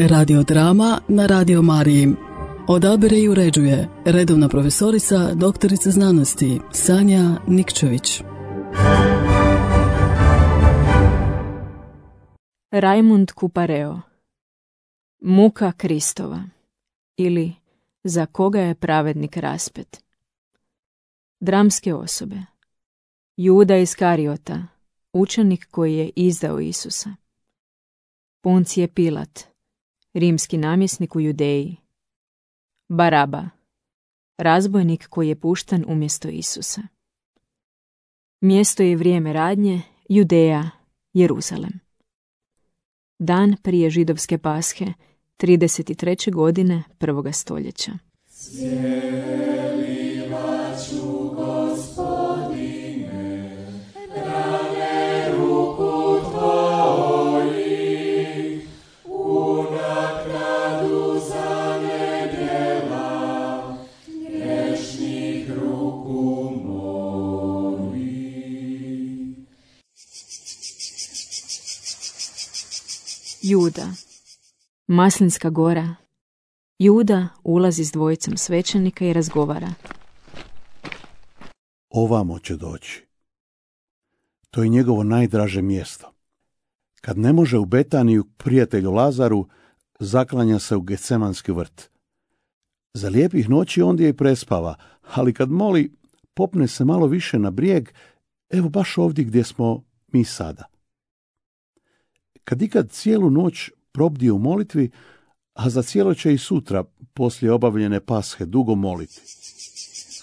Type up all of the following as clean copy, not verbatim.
Radiodrama na Radio Mariji. Odabire i uređuje redovna profesorica, doktorica znanosti Sanja Nikčević. Rajmund Kupareo. Muka Kristova ili Za koga je pravednik raspet. Dramske osobe. Juda Iskariota, učenik koji je izdao Isusa. Puncije Pilat, rimski namjesnik u Judeji. Baraba, razbojnik koji je pušten umjesto Isusa. Mjesto i vrijeme radnje, Judeja, Jeruzalem. Dan prije židovske Pashe, 33. godine 1. stoljeća. Juda. Maslinska gora. Juda ulazi s dvojicom svećenika i razgovara. Ovamo će doći. To je njegovo najdraže mjesto. Kad ne može u Betaniju prijatelju Lazaru, zaklanja se u Getsemanski vrt. Za lijepih noći ondje i prespava, ali kad moli, popne se malo više na brijeg, evo baš ovdje gdje smo mi sada. Kad ikad cijelu noć probdije u molitvi, a za cijelo će i sutra, poslije obavljene Pashe, dugo moliti.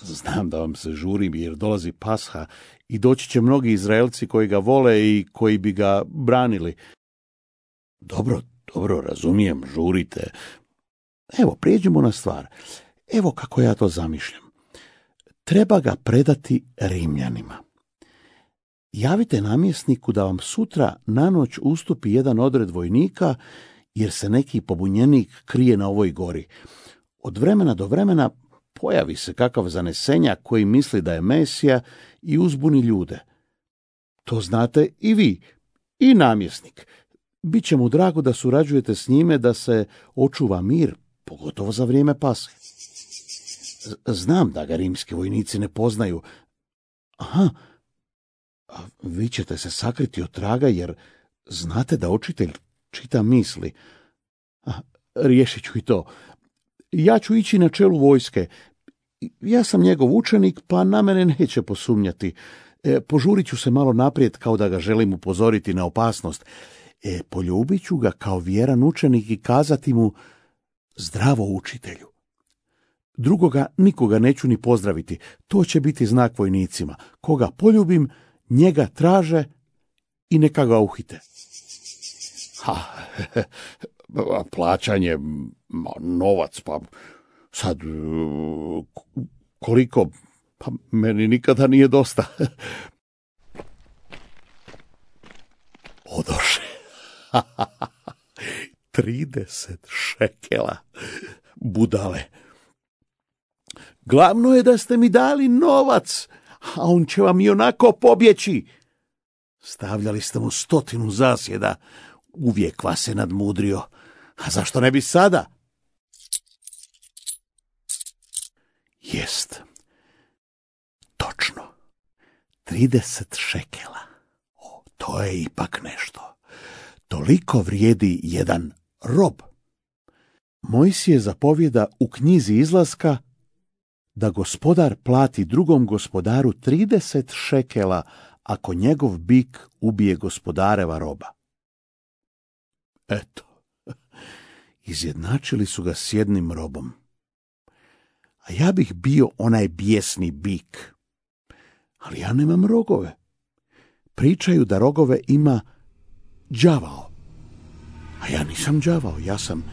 Znam da vam se žurim jer dolazi Pasha i doći će mnogi Izraelci koji ga vole i koji bi ga branili. Dobro, razumijem, žurite. Evo, prijeđimo na stvar. Evo kako ja to zamišljam. Treba ga predati Rimljanima. Javite namjesniku da vam sutra na noć ustupi jedan odred vojnika, jer se neki pobunjenik krije na ovoj gori. Od vremena do vremena pojavi se kakav zanesenjak koji misli da je Mesija i uzbuni ljude. To znate i vi, i namjesnik. Biće mu drago da surađujete s njime da se očuva mir, pogotovo za vrijeme Pashe. Znam da ga rimski vojnici ne poznaju. Aha, a vi ćete se sakriti od traga jer znate da učitelj čita misli. Riješit ću i to. Ja ću ići na čelu vojske. Ja sam njegov učenik, pa na mene neće posumnjati. Požurit ću se malo naprijed kao da ga želim upozoriti na opasnost. Poljubit ću ga kao vjeran učenik i kazati mu zdravo učitelju. Drugoga nikoga neću ni pozdraviti. To će biti znak vojnicima. Koga poljubim, njega traže i neka ga uhite. Plaćanje, novac, pa sad koliko, pa meni nikada nije dosta. Odoše. 30 šekela, budale. Glavno je da ste mi dali novac, a on će vam i onako pobjeći. Stavljali ste mu 100 zasjeda, uvijek vas se nadmudrio. A zašto ne bi sada? Jest. Točno. 30 šekela. To je ipak nešto. Toliko vrijedi jedan rob. Mojsije zapovjeda u knjizi Izlaska da gospodar plati drugom gospodaru 30 šekela ako njegov bik ubije gospodareva roba. Eto, izjednačili su ga s jednim robom. A ja bih bio onaj bijesni bik. Ali ja nemam rogove. Pričaju da rogove ima đavao. A ja nisam đavao, ja sam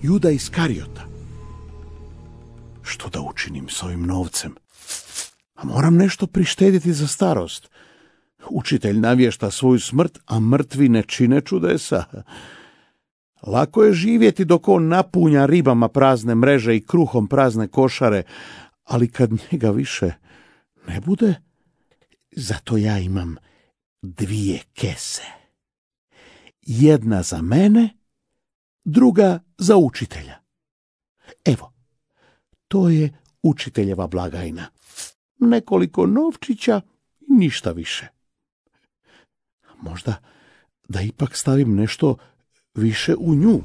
Juda Iskariota. Što da učinim s ovim novcem? A moram nešto prištediti za starost. Učitelj navješta svoju smrt, a mrtvi ne čine čudesa. Lako je živjeti dok on napunja ribama prazne mreže i kruhom prazne košare, ali kad njega više ne bude, zato ja imam 2 kese. Jedna za mene, druga za učitelja. Evo, to je učiteljeva blagajna. Nekoliko novčića i ništa više. Možda da ipak stavim nešto više u nju.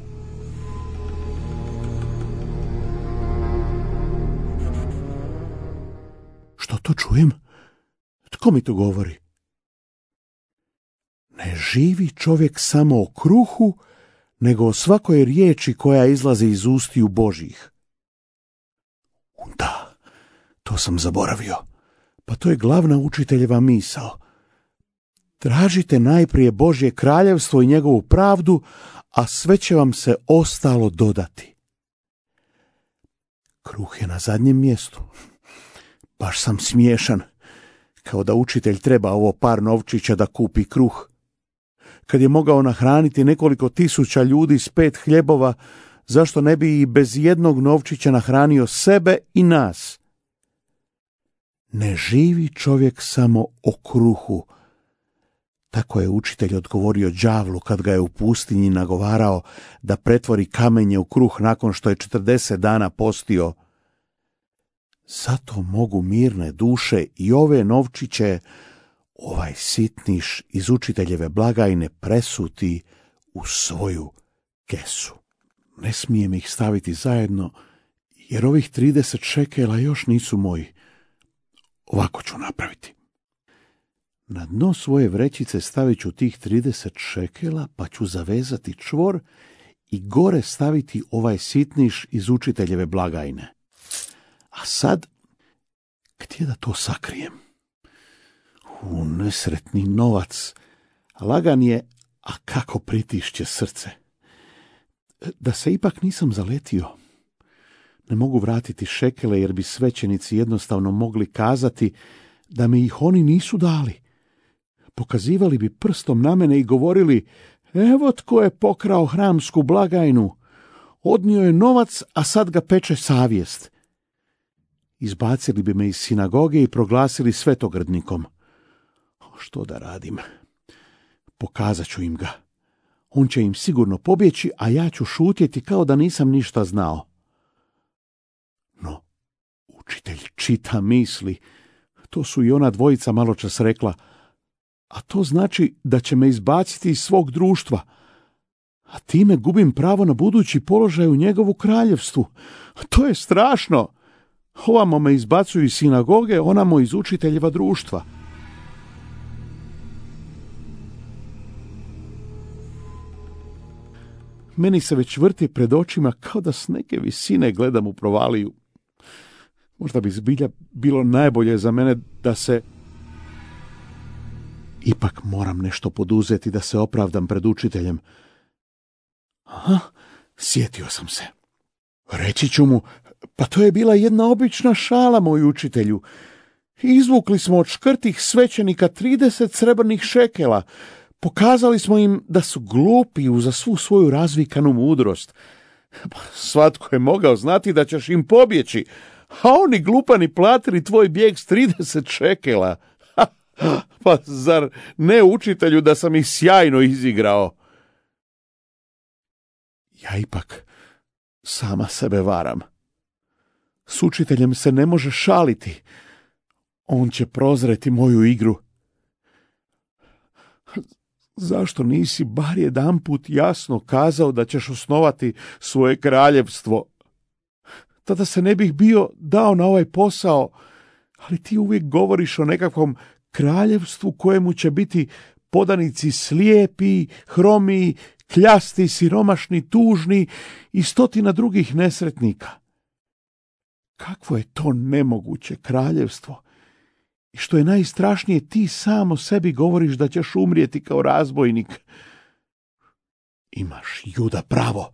Što to čujem? Tko mi to govori? Ne živi čovjek samo o kruhu, nego o svakoj riječi koja izlazi iz ustiju Božjih. Da, to sam zaboravio. Pa to je glavna učiteljeva misao. Tražite najprije Božje kraljevstvo i njegovu pravdu, a sve će vam se ostalo dodati. Kruh je na zadnjem mjestu. Baš sam smiješan, kao da učitelj treba ovo par novčića da kupi kruh. Kad je mogao nahraniti nekoliko tisuća ljudi s 5 hljebova, zašto ne bi i bez jednog novčića nahranio sebe i nas? Ne živi čovjek samo o kruhu. Tako je učitelj odgovorio đavlu kad ga je u pustinji nagovarao da pretvori kamenje u kruh nakon što je 40 dana postio. Zato mogu mirne duše i ove novčiće, ovaj sitniš iz učiteljeve blagajne, presuti u svoju kesu. Ne smijem ih staviti zajedno, jer ovih 30 šekela još nisu moji. Ovako ću napraviti. Na dno svoje vrećice stavit ću tih 30 šekela, pa ću zavezati čvor i gore staviti ovaj sitniš iz učiteljeve blagajne. A sad, gdje da to sakrijem? Nesretni novac, lagan je, a kako pritišće srce. Da se ipak nisam zaletio. Ne mogu vratiti šekele, jer bi svećenici jednostavno mogli kazati da mi ih oni nisu dali. Pokazivali bi prstom na mene i govorili: evo tko je pokrao hramsku blagajnu. Odnio je novac, a sad ga peče savjest. Izbacili bi me iz sinagoge i proglasili svetogrdnikom. Što da radim? Pokazat ću im ga. On će im sigurno pobjeći, a ja ću šutjeti kao da nisam ništa znao. No, učitelj čita misli. To su i ona dvojica maločas rekla. A to znači da će me izbaciti iz svog društva. A time gubim pravo na budući položaj u njegovu kraljevstvu. To je strašno. Ovamo me izbacuju iz sinagoge, onamo iz učiteljeva društva. Meni se već vrti pred očima kao da s neke visine gledam u provaliju. Možda bi zbilja bilo najbolje za mene da se... Ipak moram nešto poduzeti da se opravdam pred učiteljem. Aha, sjetio sam se. Reći ću mu: pa to je bila jedna obična šala, moj učitelju. Izvukli smo od škrtih svećenika 30 srebrnih šekela. Pokazali smo im da su glupi uza svu svoju razvikanu mudrost. Svatko je mogao znati da ćeš im pobjeći, a oni glupani platili tvoj bijeg s 30 šekela. Pa zar ne, učitelju, da sam ih sjajno izigrao? Ja ipak sama sebe varam. S učiteljem se ne može šaliti. On će prozreti moju igru. Zašto nisi bar jedanput jasno kazao da ćeš osnovati svoje kraljevstvo? Tada se ne bih bio dao na ovaj posao, ali ti uvijek govoriš o nekakvom kraljevstvu kojemu će biti podanici slijepi, hromi, kljasti, siromašni, tužni i 100 drugih nesretnika. Kakvo je to nemoguće kraljevstvo? I što je najstrašnije, ti samo sebi govoriš da ćeš umrijeti kao razbojnik. Imaš, Juda, pravo.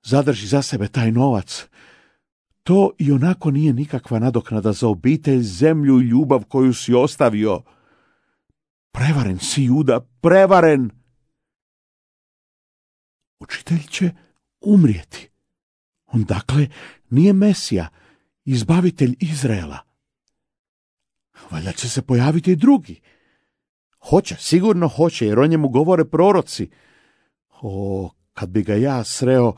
Zadrži za sebe taj novac. To i onako nije nikakva nadoknada za obitelj, zemlju i ljubav koju si ostavio. Prevaren si, Juda, prevaren. Učitelj će umrijeti. On dakle nije Mesija, izbavitelj Izraela. Valjda će se pojaviti i drugi. Hoće, sigurno hoće, jer o njemu govore proroci. O, Kad bi ga ja sreo,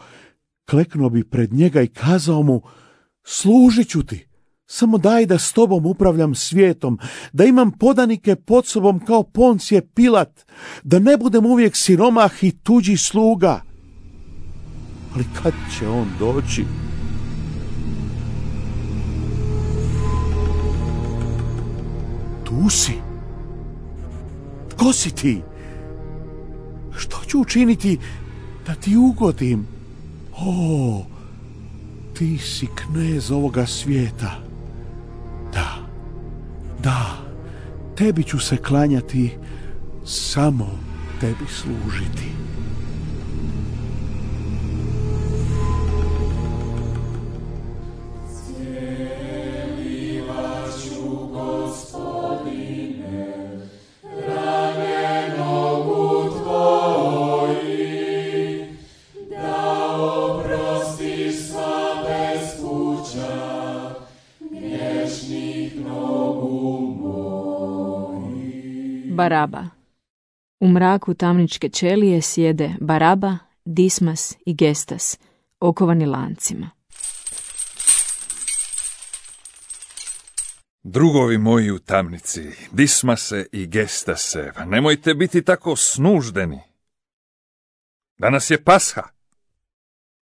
kleknuo bi pred njega i kazao mu: služit ću ti, samo daj da s tobom upravljam svijetom, da imam podanike pod sobom kao Poncije Pilat, da ne budem uvijek siromah i tuđi sluga. Ali kad će on doći? Tu si. Tko si ti? Što ću učiniti da ti ugodim? O, ti si knez ovoga svijeta. Da, tebi ću se klanjati, samo tebi služiti. Baraba. U mraku tamničke ćelije sjede Baraba, Dismas i Gestas, okovani lancima. Drugovi moji u tamnici, Dismase i Gestase, pa nemojte biti tako snuždeni. Danas je Pasha.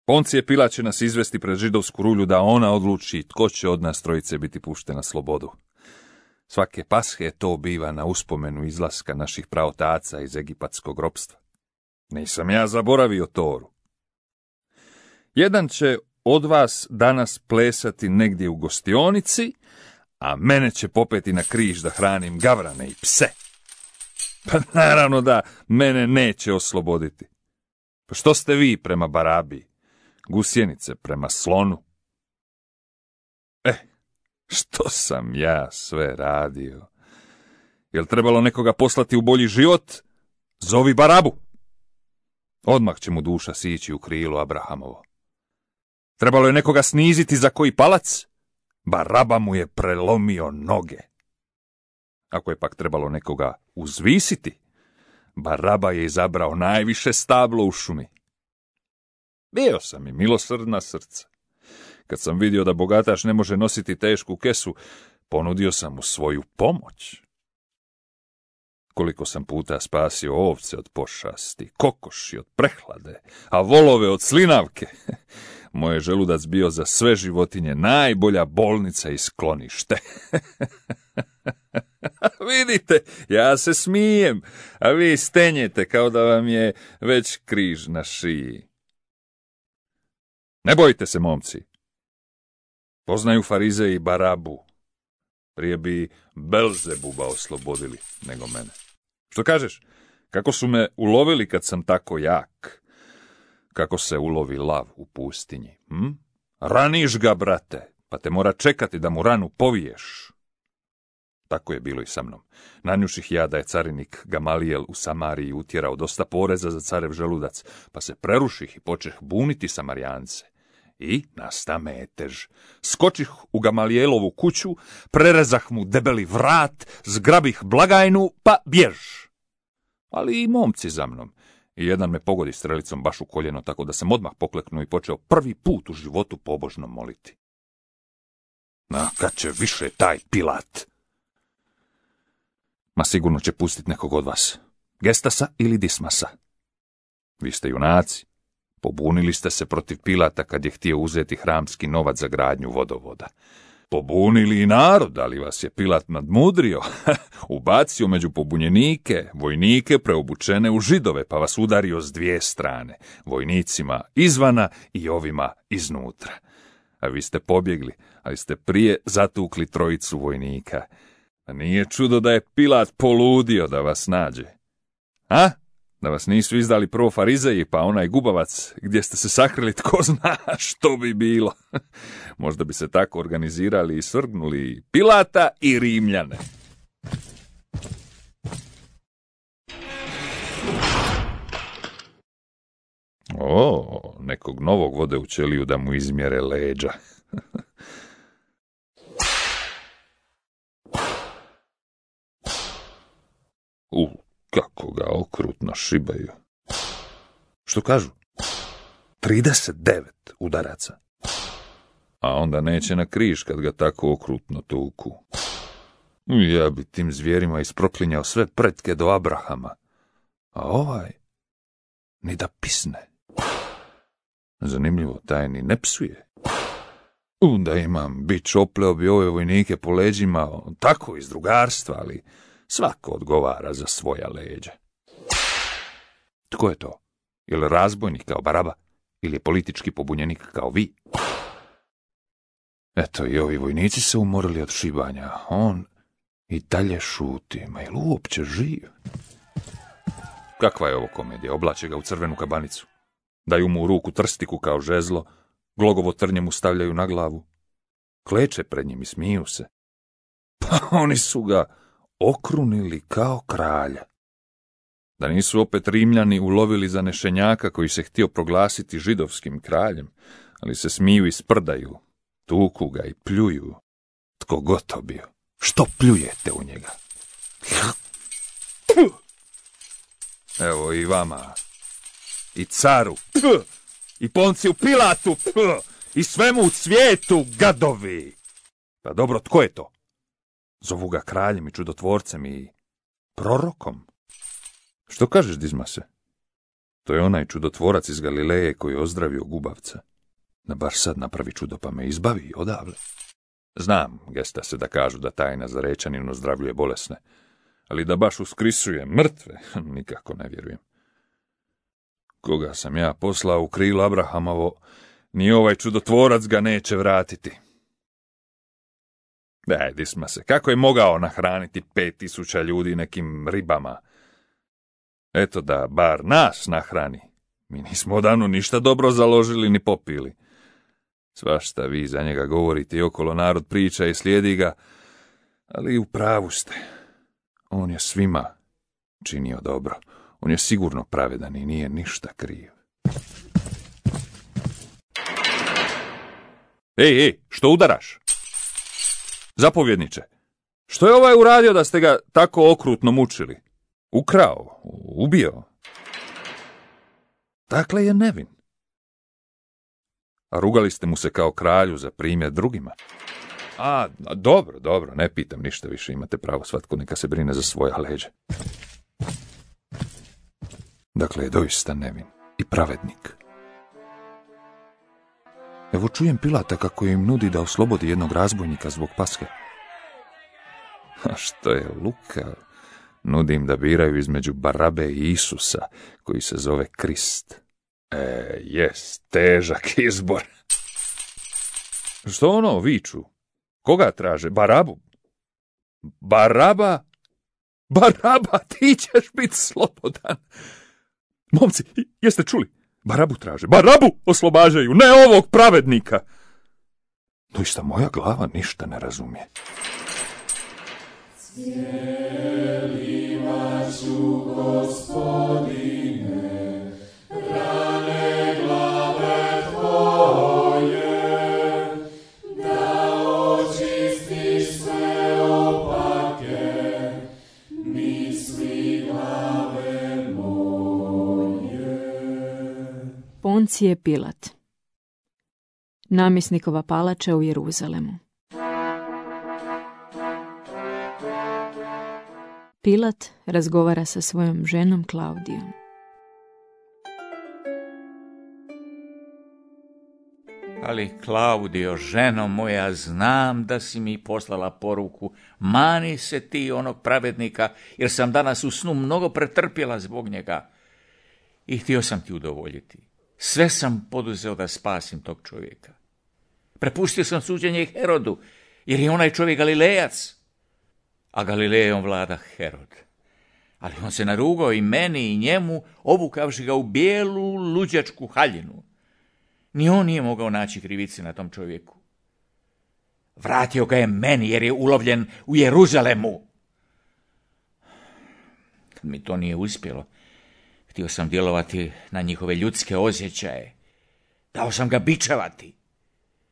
Poncije Pilat će nas izvesti pred židovsku rulju da ona odluči tko će od nas trojice biti pušten na slobodu. Svake Pashe to biva na uspomenu izlaska naših praotaca iz egipatskog ropstva. Nisam ja zaboravio Toru. Jedan će od vas danas plesati negdje u gostionici, a mene će popeti na križ da hranim gavrane i pse. Pa naravno da mene neće osloboditi. Pa što ste vi prema Barabi? Gusjenice prema slonu? Što sam ja sve radio? Jel trebalo nekoga poslati u bolji život? Zovi Barabu. Odmah će mu duša sići u krilo Abrahamovo. Trebalo je nekoga sniziti za koji palac? Baraba mu je prelomio noge. Ako je pak trebalo nekoga uzvisiti, Baraba je izabrao najviše stablo u šumi. Bio sam i milosrdna srca. Kad sam vidio da bogataš ne može nositi tešku kesu, ponudio sam mu svoju pomoć. Koliko sam puta spasio ovce od pošasti, kokoši od prehlade, a volove od slinavke. Moj je želudac bio za sve životinje najbolja bolnica i sklonište. Vidite, ja se smijem, a vi stenjete kao da vam je već križ na šiji. Ne bojte se, momci. Poznaju Farize i Barabu. Prije bi Belzebuba oslobodili nego mene. Što kažeš? Kako su me ulovili kad sam tako jak? Kako se ulovi lav u pustinji? Raniš ga, brate, pa te mora čekati da mu ranu poviješ. Tako je bilo i sa mnom. Nanjuših ja da je carinik Gamalijel u Samariji utjerao dosta poreza za carev želudac, pa se preruših i počeh buniti Samarijance. I nasta metež. Skočih u Gamalijelovu kuću, prerezah mu debeli vrat, zgrabih blagajnu, pa bjež. Ali i momci za mnom. I jedan me pogodi strelicom baš u koljeno, tako da sam odmah pokleknuo i počeo prvi put u životu pobožno moliti. Na, kad će više taj Pilat? Ma sigurno će pustiti nekog od vas. Gestasa ili Dismasa. Vi ste junaci. Pobunili ste se protiv Pilata kad je htio uzeti hramski novac za gradnju vodovoda. Pobunili i narod, ali vas je Pilat nadmudrio. Ubacio među pobunjenike, vojnike preobučene u židove, pa vas udario s dvije strane. Vojnicima izvana i ovima iznutra. A vi ste pobjegli, ali ste prije zatukli trojicu vojnika. A nije čudo da je Pilat poludio da vas nađe. A? Da vas nisu izdali prvo Farizeji, pa onaj gubavac gdje ste se sakrili, tko zna što bi bilo. Možda bi se tako organizirali i svrgnuli Pilata i Rimljane. O, nekog novog vode u ćeliju da mu izmjere leđa. Kako ga okrutno šibaju. Što kažu? 39 udaraca. A onda neće na križ kad ga tako okrutno tuku. Ja bi tim zvijerima isproklinjao sve pretke do Abrahama. A ovaj ni da pisne. Zanimljivo, taj ni ne psuje. Da imam bić, opleo bi ove vojnike po leđima, tako iz drugarstva, ali svako odgovara za svoja leđa. Tko je to? Je li razbojnik kao Baraba? Ili je politički pobunjenik kao vi? Eto, i ovi vojnici se umorili od šibanja. On i dalje šuti. Ma je li uopće živ? Kakva je ovo komedija? Oblače ga u crvenu kabanicu. Daju mu u ruku trstiku kao žezlo, glogovo trnje mu stavljaju na glavu. Kleče pred njim i smiju se. Pa oni su ga okrunili kao kralja. Da nisu opet Rimljani ulovili zanešenjaka koji se htio proglasiti židovskim kraljem, ali se smiju i sprdaju, tuku ga i pljuju. Tko god to bio, što pljujete u njega? Evo i vama, i caru, i Ponciju Pilatu, i svemu u svijetu, gadovi. Pa dobro, tko je to? Zovu ga kraljem i čudotvorcem i prorokom. Što kažeš, Dizmase? To je onaj čudotvorac iz Galileje koji je ozdravio gubavca. Da baš sad napravi čudo pa me izbavi odavle. Znam, Gestase, da kažu da taj Nazarečanin ozdravljuje bolesne, ali da baš uskrisuje mrtve, nikako ne vjerujem. Koga sam ja poslao u krilo Abrahamovo, ni ovaj čudotvorac ga neće vratiti. Daj, Dismase, kako je mogao nahraniti 5000 ljudi nekim ribama? Eto da bar nas nahrani. Mi nismo odavno ništa dobro založili ni popili. Svašta vi za njega govorite i okolo narod priča i slijedi ga, ali u pravu ste. On je svima činio dobro. On je sigurno pravedan i nije ništa kriv. Ej, što udaraš? Zapovjedniče, što je ovaj uradio da ste ga tako okrutno mučili? Ukrao, ubio. Dakle je nevin. A rugali ste mu se kao kralju za primjer drugima. A, dobro, ne pitam ništa više, imate pravo, svatko neka se brine za svoja leđa. Dakle je doista nevin i pravednik. Evo čujem Pilata kako im nudi da oslobodi jednog razbojnika zbog Paske. A što je lukav. Nudim da biraju između Barabe i Isusa, koji se zove Krist. Jes, težak izbor. Što ono viču? Koga traže? Barabu? Baraba, ti ćeš biti slobodan. Momci, jeste čuli? Barabu traže. Barabu oslobađaju, ne ovog pravednika. Doista moja glava ništa ne razumije. Ću, Gospodine, rane glave tvoje, da očistiš sve opake, misli glave moje. Poncije Pilat. Namjesnikova palača u Jeruzalemu. Pilat razgovara sa svojom ženom Klaudijom. Ali, Klaudijo, ženo moja, znam da si mi poslala poruku, mani se ti onog pravednika, jer sam danas u snu mnogo pretrpjela zbog njega. I htio sam ti udovoljiti. Sve sam poduzeo da spasim tog čovjeka. Prepustio sam suđenje i Herodu, jer je onaj čovjek Galilejac. A Galilejom vlada Herod. Ali on se narugao i meni i njemu, obukavši ga u bijelu luđačku haljinu. Ni on nije mogao naći krivice na tom čovjeku. Vratio ga je meni jer je ulovljen u Jeruzalemu. Kad mi to nije uspjelo, htio sam djelovati na njihove ljudske osjećaje. Dao sam ga bičevati.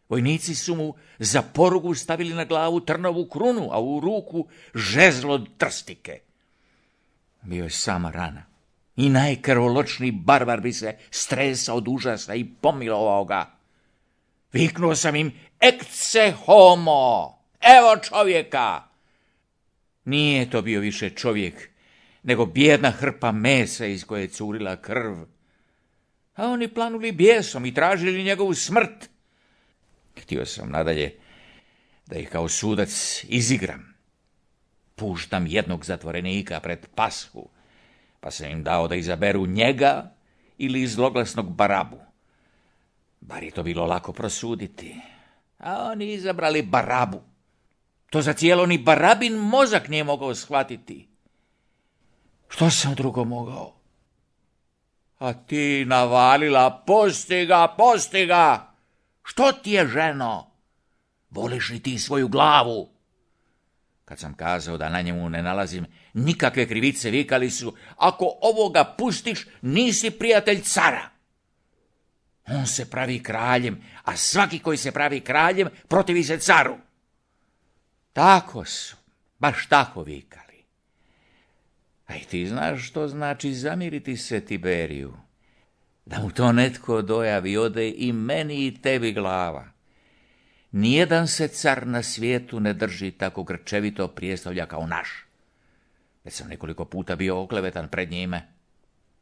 Vojnici su mu za porugu stavili na glavu trnovu krunu, a u ruku žezlo trstike. Bio je sama rana. I najkrvoločniji barbar bi se stresao od užasa i pomilovao ga. Viknuo sam im, ecce homo, evo čovjeka. Nije to bio više čovjek, nego bijedna hrpa mesa iz koje je curila krv. A oni planuli bijesom i tražili njegovu smrt. Htio sam nadalje da ih kao sudac izigram. Puštam jednog zatvorenika pred pashu, pa sam im dao da izaberu njega ili zloglasnog Barabu. Bar je to bilo lako prosuditi. A oni izabrali Barabu. To za cijelo ni Barabin mozak nije mogao shvatiti. Što sam drugo mogao? A ti navalila, pusti ga! Što ti je, ženo? Voliš li ti svoju glavu? Kad sam kazao da na njemu ne nalazim nikakve krivice, vikali su, ako ovoga pustiš, nisi prijatelj cara. On se pravi kraljem, a svaki koji se pravi kraljem protivi se caru. Tako su, baš tako vikali. A i ti znaš što znači zamiriti se Tiberiju? Da mu to netko dojavi, ode i meni i tebi glava. Nijedan se car na svijetu ne drži tako grčevito prijestolja kao naš. Već sam nekoliko puta bio oklevetan pred njime,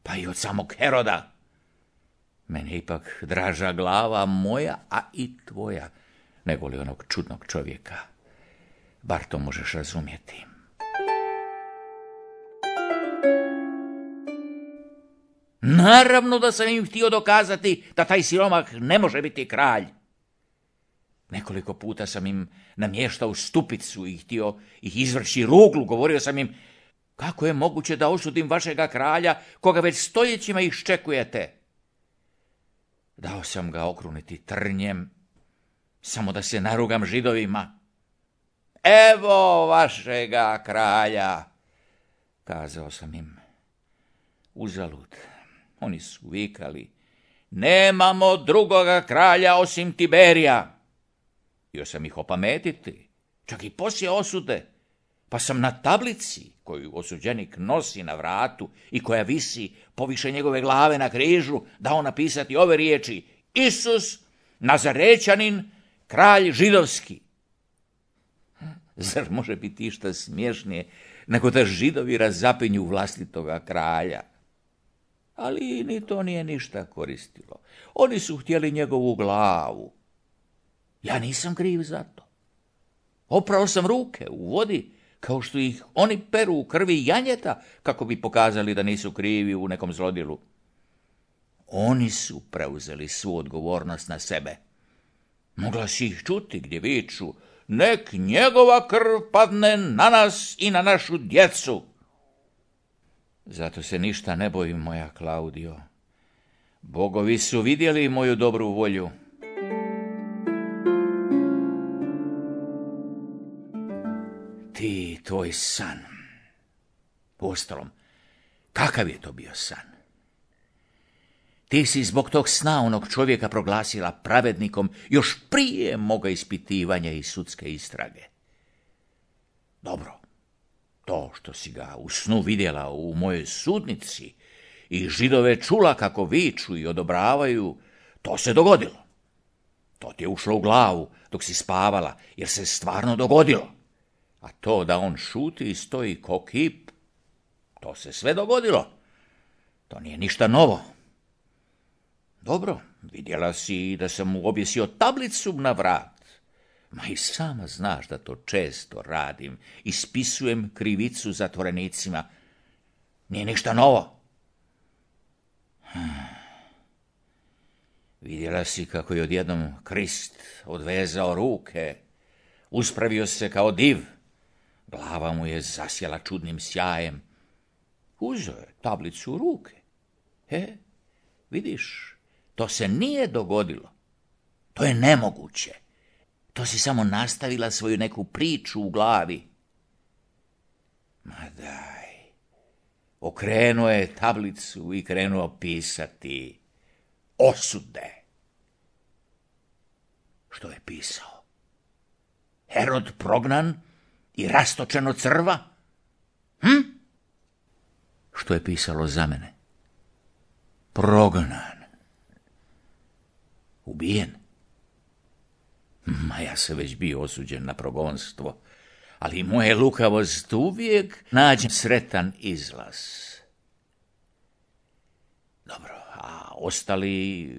pa i od samog Heroda. Meni je ipak draža glava moja, a i tvoja, nego li onog čudnog čovjeka. Bar to možeš razumjeti. Naravno da sam im htio dokazati da taj siromah ne može biti kralj. Nekoliko puta sam im namještao stupicu i htio ih izvrći ruglu. Govorio sam im, kako je moguće da osudim vašega kralja, koga već stoljećima iščekujete? Dao sam ga okruniti trnjem, samo da se narugam Židovima. Evo vašega kralja, kazao sam im. Uzalud, oni su vikali, nemamo drugoga kralja osim Tiberija. Htio sam ih opametiti, čak i poslije osude, pa sam na tablici koju osuđenik nosi na vratu i koja visi poviše njegove glave na križu dao napisati ove riječi: Isus, Nazarećanin, kralj židovski. Zar može biti išta smiješnije nego da Židovi razapinju vlastitoga kralja? Ali ni to nije ništa koristilo. Oni su htjeli njegovu glavu. Ja nisam kriv za to. Oprao sam ruke u vodi, kao što ih oni peru u krvi janjeta, kako bi pokazali da nisu krivi u nekom zlodjelu. Oni su preuzeli svu odgovornost na sebe. Mogla si ih čuti gdje viču, nek njegova krv padne na nas i na našu djecu. Zato se ništa ne bojim, moja Klaudio. Bogovi su vidjeli moju dobru volju. Ti, tvoj san. Uostalom, kakav je to bio san? Ti si zbog tog sna onog čovjeka proglasila pravednikom još prije moga ispitivanja i sudske istrage. Dobro, to što si ga u snu vidjela u mojoj sudnici i Židove čula kako viču i odobravaju, to se dogodilo. To ti je ušlo u glavu dok si spavala, jer se stvarno dogodilo. A to da on šuti i stoji ko kip, to se sve dogodilo. To nije ništa novo. Dobro, vidjela si da sam mu objesio tablicu na vrat. Ma i sama znaš da to često radim. Ispisujem krivicu zatvorenicima. Nije ništa novo. Vidjela si kako je odjednom Krist odvezao ruke. Uspravio se kao div. Glava mu je zasjela čudnim sjajem. Uzeo je tablicu u ruke. Vidiš, to se nije dogodilo. To je nemoguće. To si samo nastavila svoju neku priču u glavi. Ma daj. Okrenuo je tablicu i krenuo pisati osude. Što je pisao? Herod prognan i rastočeno crva? Što je pisalo za mene? prognan, ubijen. Ma ja se već bio osuđen na progonstvo, ali moje lukavost uvijek nađe sretan izlaz. Dobro, a ostali,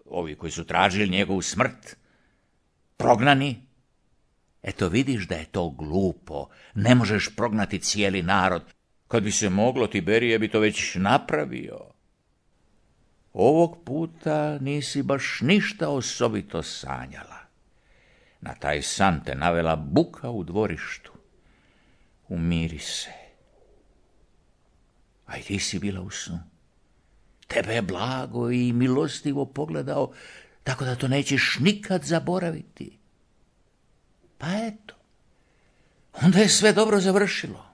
ovi koji su tražili njegovu smrt, prognani? Eto vidiš da je to glupo, ne možeš prognati cijeli narod. Kad bi se moglo, Tiberije bi to već napravio. Ovog puta nisi baš ništa osobito sanjala. Na taj san te navela buka u dvorištu. Umiri se. A i ti si bila u snu. Tebe je blago i milostivo pogledao, tako da to nećeš nikad zaboraviti. Pa eto, onda je sve dobro završilo.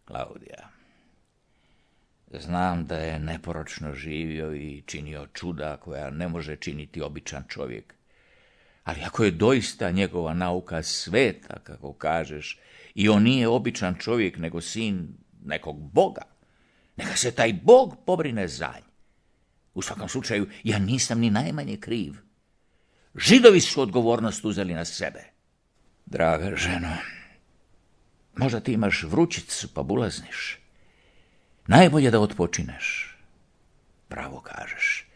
Klaudija, znam da je neporočno živio i činio čuda koja ne može činiti običan čovjek. Ali ako je doista njegova nauka sveta, kako kažeš, i on nije običan čovjek, nego sin nekog boga, neka se taj bog pobrine za nj. U svakom slučaju, ja nisam ni najmanje kriv. Židovi su odgovornost uzeli na sebe. Draga ženo, možda ti imaš vrućicu pa bulazniš. Najbolje da otpočineš. Pravo kažeš.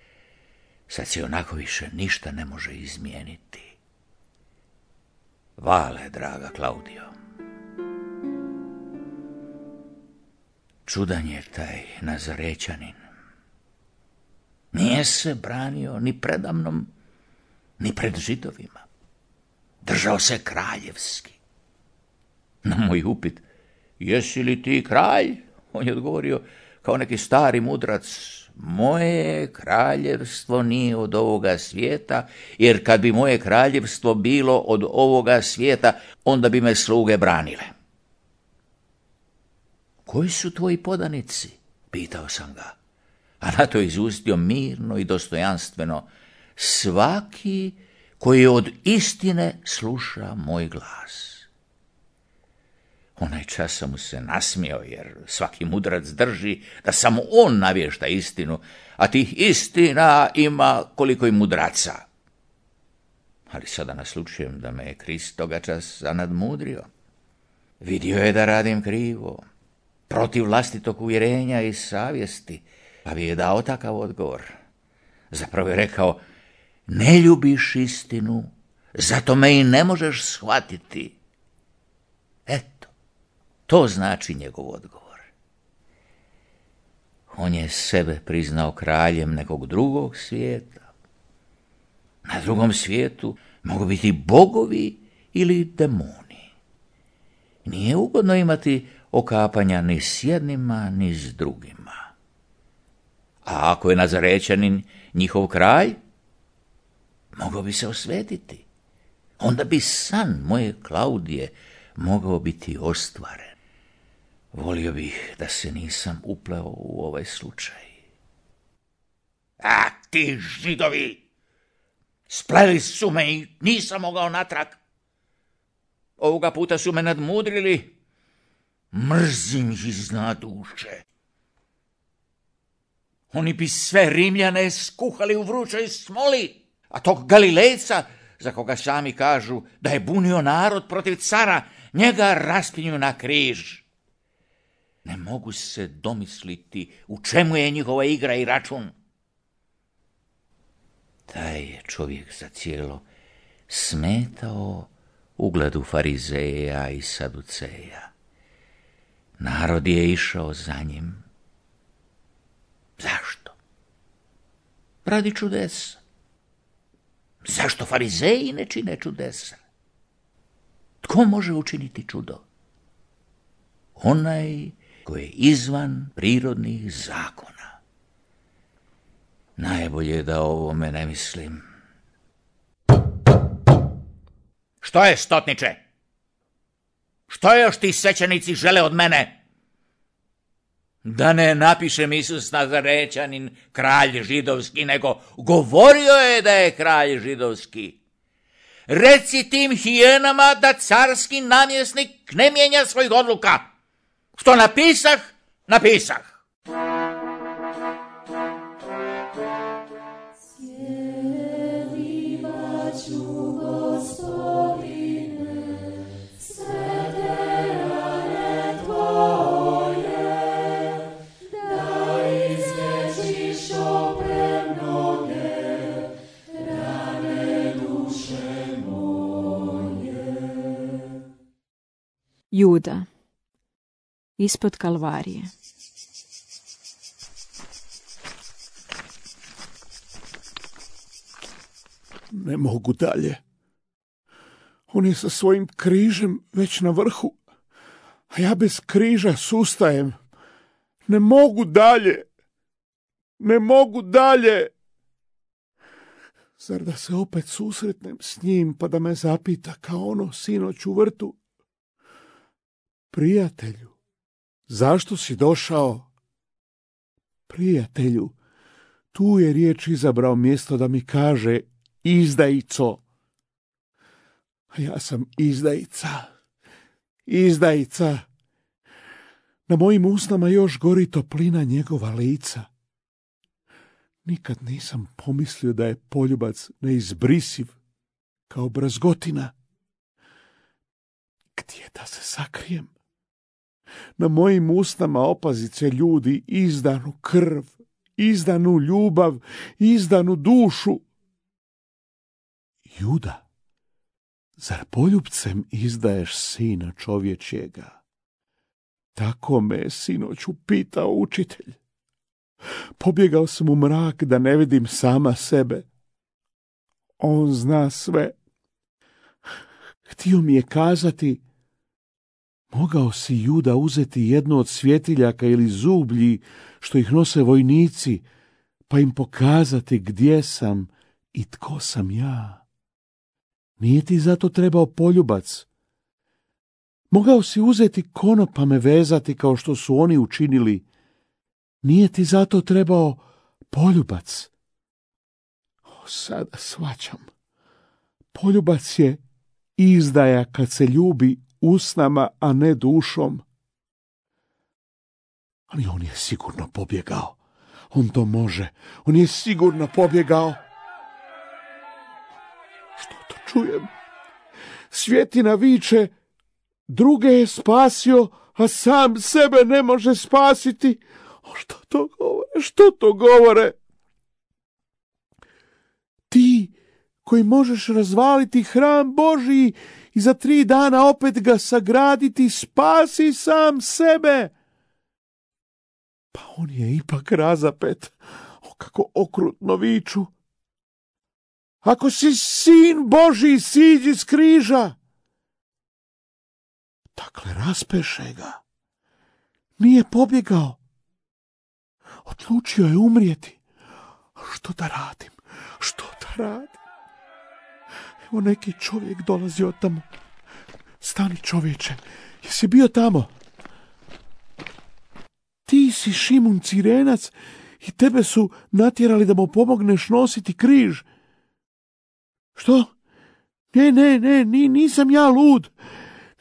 Sad se onako više ništa ne može izmijeniti. Vale, draga Klaudijo. Čudan je taj Nazarećanin. Nije se branio ni predamnom, ni pred Židovima. Držao se kraljevski. Na moj upit, jesi li ti kralj? On je odgovorio kao neki stari mudrac, moje kraljevstvo nije od ovoga svijeta, jer kad bi moje kraljevstvo bilo od ovoga svijeta, onda bi me sluge branile. Koji su tvoji podanici? Pitao sam ga. A na to je izustio mirno i dostojanstveno, svaki koji od istine sluša moj glas. Onaj čas sam mu se nasmijao, jer svaki mudrac drži da samo on navješta istinu, a tih istina ima koliko i mudraca. Ali sada naslučujem da me je Krist toga časa nadmudrio. Vidio je da radim krivo, protiv vlastitog uvjerenja i savjesti, pa bi je dao takav odgovor. Zapravo je rekao, ne ljubiš istinu, zato me i ne možeš shvatiti. Eto, to znači njegov odgovor. On je sebe priznao kraljem nekog drugog svijeta. Na drugom svijetu mogu biti bogovi ili demoni. Nije ugodno imati okapanja ni s jednima, ni s drugima. A ako je Nazarećanin njihov kralj, mogao bi se osvetiti. Onda bi san moje Klaudije mogao biti ostvaren. Volio bih da se nisam upleo u ovaj slučaj. A ti Židovi! Spleli su me i nisam mogao natrag. Ovoga puta su me nadmudrili. Mrzim ih iznad duše. Oni bi sve Rimljane skuhali u vrućoj smoli, a tog Galilejca, za koga sami kažu da je bunio narod protiv cara, njega raspinju na križ. Ne mogu se domisliti u čemu je njihova igra i račun. Taj je čovjek za cijelo smetao ugledu Farizeja i Saduceja. Narod je išao za njim. Zašto? Radi čudesa. Zašto Farizeji ne čine čudesa? Tko može učiniti čudo? Onaj koji je izvan prirodnih zakona. Najbolje je da o ovome ne mislim. Što je, stotniče? Što još ti svećenici žele od mene? Da ne napišem Isus Nazarećanin kralj židovski, nego govorio je da je kralj židovski. Reci tim hijenama da carski namjesnik ne mijenja svojih odluka. Što napisah, napisah. Juda. Ispod Kalvarije. Ne mogu dalje. On je sa svojim križem već na vrhu, a ja bez križa sustajem. Ne mogu dalje. Ne mogu dalje. Zar da se opet susretnem s njim pa da me zapita kao ono sinoć u vrtu? Prijatelju, zašto si došao? Prijatelju, tu je riječ izabrao mjesto da mi kaže izdajico. A ja sam izdajica. Izdajica. Na mojim usnama još gori toplina njegova lica. Nikad nisam pomislio da je poljubac neizbrisiv kao brazgotina. Gdje da se sakrijem? Na mojim usnama opazice ljudi izdanu krv, izdanu ljubav, izdanu dušu. Juda, zar poljubcem izdaješ sina čovječjega? Tako me je sinoć upitao učitelj. Pobjegao sam u mrak da ne vidim sama sebe. On zna sve. Htio mi je kazati, mogao si, Juda, uzeti jedno od svjetiljaka ili zublji što ih nose vojnici, pa im pokazati gdje sam i tko sam ja. Nije ti zato trebao poljubac. Mogao si uzeti konop pa me vezati kao što su oni učinili. Nije ti zato trebao poljubac. Sada shvaćam. Poljubac je izdaja kad se ljubi usnama, a ne dušom. Ali on je sigurno pobjegao. On to može. On je sigurno pobjegao. Što to čujem? Svjetina viče, druge je spasio, a sam sebe ne može spasiti. Što to govore? Što to govore? Ti koji možeš razvaliti hram Božiji i za 3 dana opet ga sagraditi, spasi sam sebe. Pa on je ipak razapet. O, kako okrutno viču. Ako si sin Božji, siđi s križa. Dakle, raspeše ga. Nije pobjegao. Odlučio je umrijeti. Što da radim? Što da radim? Evo neki čovjek dolazi od tamo. Stani, čovječe, jesi bio tamo? Ti si Šimun Cirenac i tebe su natjerali da mu pomogneš nositi križ. Što? Ne, nisam ja lud.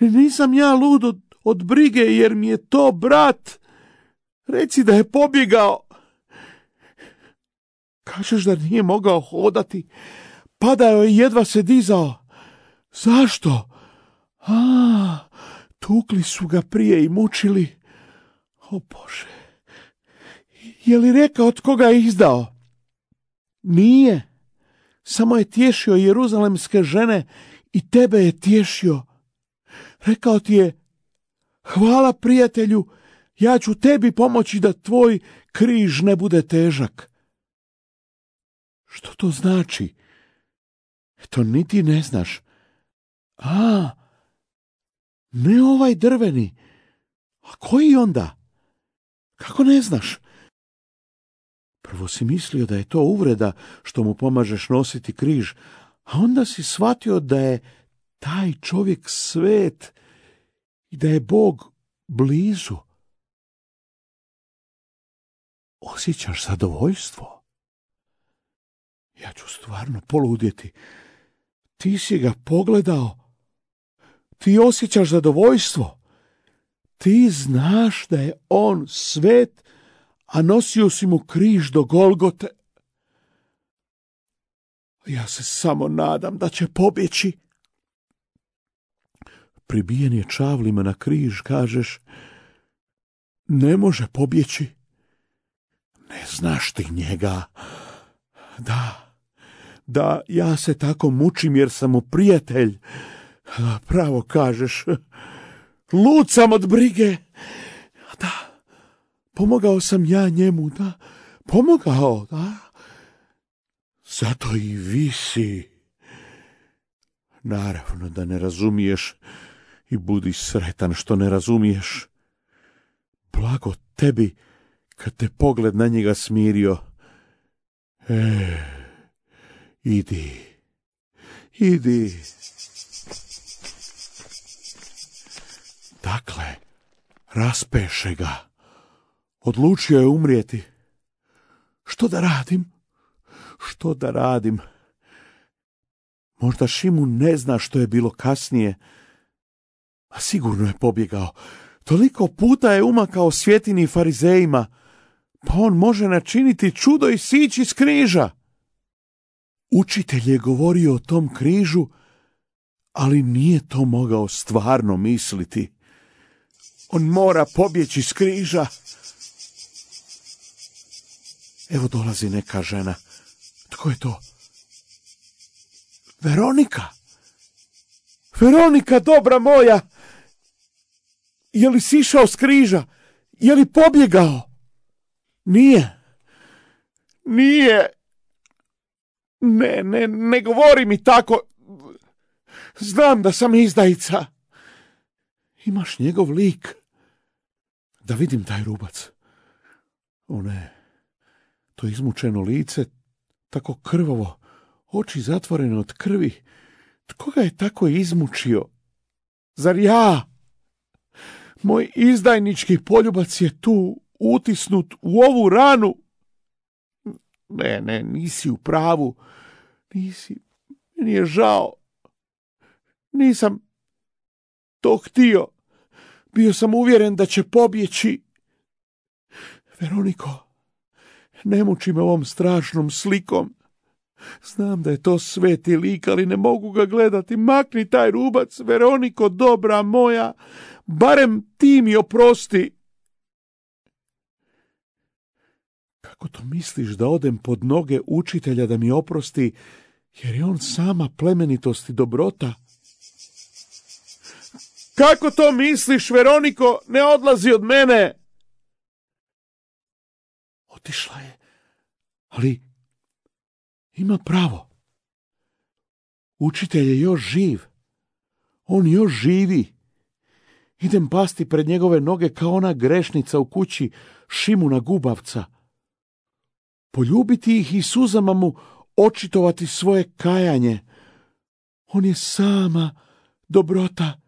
Nisam ja lud od brige jer mi je to brat. Reci da je pobjegao. Kažeš da nije mogao hodati. Padao je i jedva se dizao. Zašto? Tukli su ga prije i mučili. O Bože, je li rekao od koga je izdao? Nije. Samo je tješio jeruzalemske žene i tebe je tješio. Rekao ti je, hvala prijatelju, ja ću tebi pomoći da tvoj križ ne bude težak. Što to znači? To niti ne znaš. Ne ovaj drveni. A koji onda? Kako ne znaš? Prvo si mislio da je to uvreda što mu pomažeš nositi križ, a onda si shvatio da je taj čovjek svet i da je Bog blizu. Osjećaš zadovoljstvo? Ja ću stvarno poludjeti. Ti si ga pogledao. Ti osjećaš zadovoljstvo. Ti znaš da je on svet, a nosio si mu križ do Golgote. Ja se samo nadam da će pobjeći. Pribijen je čavlima na križ, kažeš, ne može pobjeći. Ne znaš ti njega. Da, ja se tako mučim jer sam mu prijatelj. Pravo kažeš. Lud sam od brige. Da, pomogao sam ja njemu, da. Pomogao, da. Zato i visi. Naravno da ne razumiješ i budi sretan što ne razumiješ. Blago tebi kad te pogled na njega smirio. Idi. Dakle, raspeše ga. Odlučio je umrijeti. Što da radim? Možda Šimun ne zna što je bilo kasnije, a sigurno je pobjegao. Toliko puta je umakao Svjetini i farizejima, pa on može načiniti čudo i sići s križa. Učitelj je govorio o tom križu, ali nije to mogao stvarno misliti. On mora pobjeći s križa. Evo dolazi neka žena. Tko je to? Veronika, dobra moja! Je li sišao s križa? Je li pobjegao? Nije. Ne govori mi tako. Znam da sam izdajica. Imaš njegov lik. Da vidim taj rubac. O ne, to izmučeno lice, tako krvavo, oči zatvorene od krvi. Tko ga je tako izmučio? Zar ja? Moj izdajnički poljubac je tu, utisnut u ovu ranu. Ne, nisi u pravu. Meni je žao. Nisam to htio. Bio sam uvjeren da će pobjeći. Veroniko, ne muči me ovom strašnom slikom. Znam da je to sveti lik, ali ne mogu ga gledati. Makni taj rubac, Veroniko, dobra moja. Barem ti mi oprosti. Kako to misliš da odem pod noge učitelja da mi oprosti, jer je on sama plemenitost i dobrota? Kako to misliš, Veroniko, ne odlazi od mene? Otišla je, ali ima pravo. Učitelj je još živ. On još živi. Idem pasti pred njegove noge kao ona grešnica u kući Šimuna Gubavca. Poljubiti ih i suzama mu očitovati svoje kajanje. On je sama dobrota.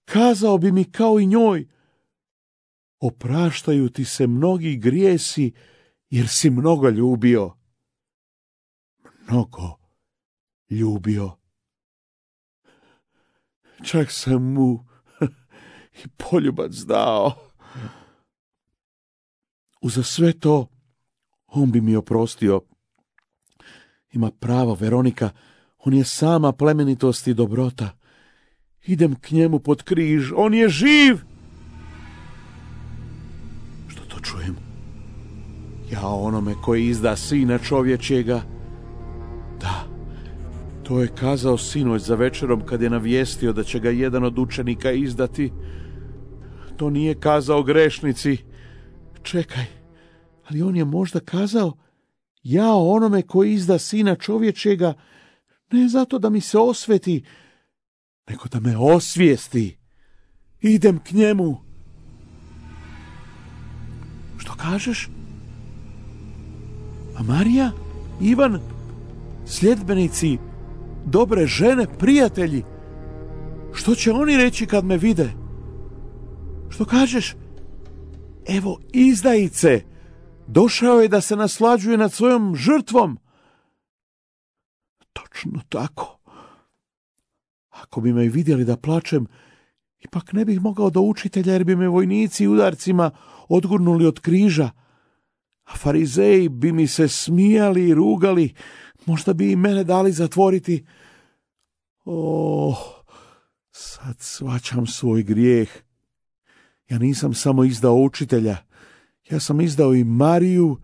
Kazao bi mi kao i njoj: opraštaju ti se mnogi grijesi, jer si mnogo ljubio. Čak sam mu i poljubac dao. Uza sve to, on bi mi oprostio. Ima pravo, Veronika, on je sama plemenitost i dobrota. Idem k njemu pod križ, on je živ! Što to čujem? Ja onome koji izda Sina čovječjega. Da, to je kazao sinoć za večerom kad je navijestio da će ga jedan od učenika izdati. To nije kazao grešnici. Čekaj, ali on je možda kazao: ja onome koji izda Sina čovječjega, ne zato da mi se osveti, nego da me osvijesti. Idem k njemu. Što kažeš? A Marija, Ivan, sljedbenici, dobre žene, prijatelji, što će oni reći kad me vide? Što kažeš? Evo izdajice, došao je da se naslađuje nad svojom žrtvom. Točno tako. Ako bi me vidjeli da plačem, ipak ne bih mogao do učitelja, jer bi me vojnici udarcima odgurnuli od križa, a farizeji bi mi se smijali i rugali, možda bi i mene dali zatvoriti. Sad shvaćam svoj grijeh. Ja nisam samo izdao učitelja, ja sam izdao i Mariju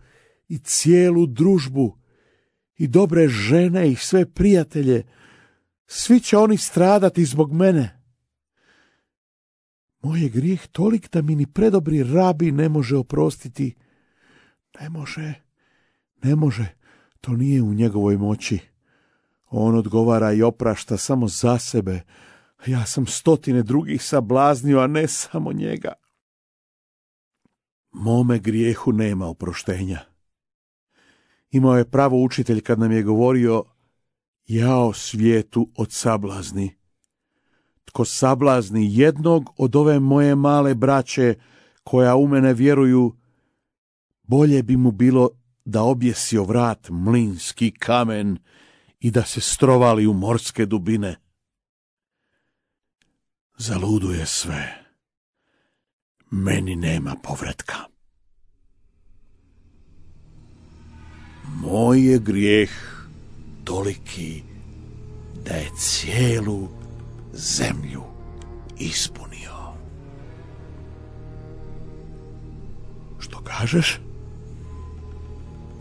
i cijelu družbu i dobre žene i sve prijatelje. Svi će oni stradati zbog mene. Moj je grijeh tolik da mi ni predobri rabi ne može oprostiti. Ne može, to nije u njegovoj moći. On odgovara i oprašta samo za sebe. Ja sam 100 drugih sablaznio, a ne samo njega. Mome grijehu nema oproštenja. Imao je pravo učitelj kad nam je govorio: jao svijetu od sablazni. Tko sablazni jednog od ove moje male braće koja u mene vjeruju, bolje bi mu bilo da objesio vrat mlinski kamen i da se strovali u morske dubine. Zaluduje sve. Meni nema povratka. Moj je grijeh toliki da je cijelu zemlju ispunio. Što kažeš?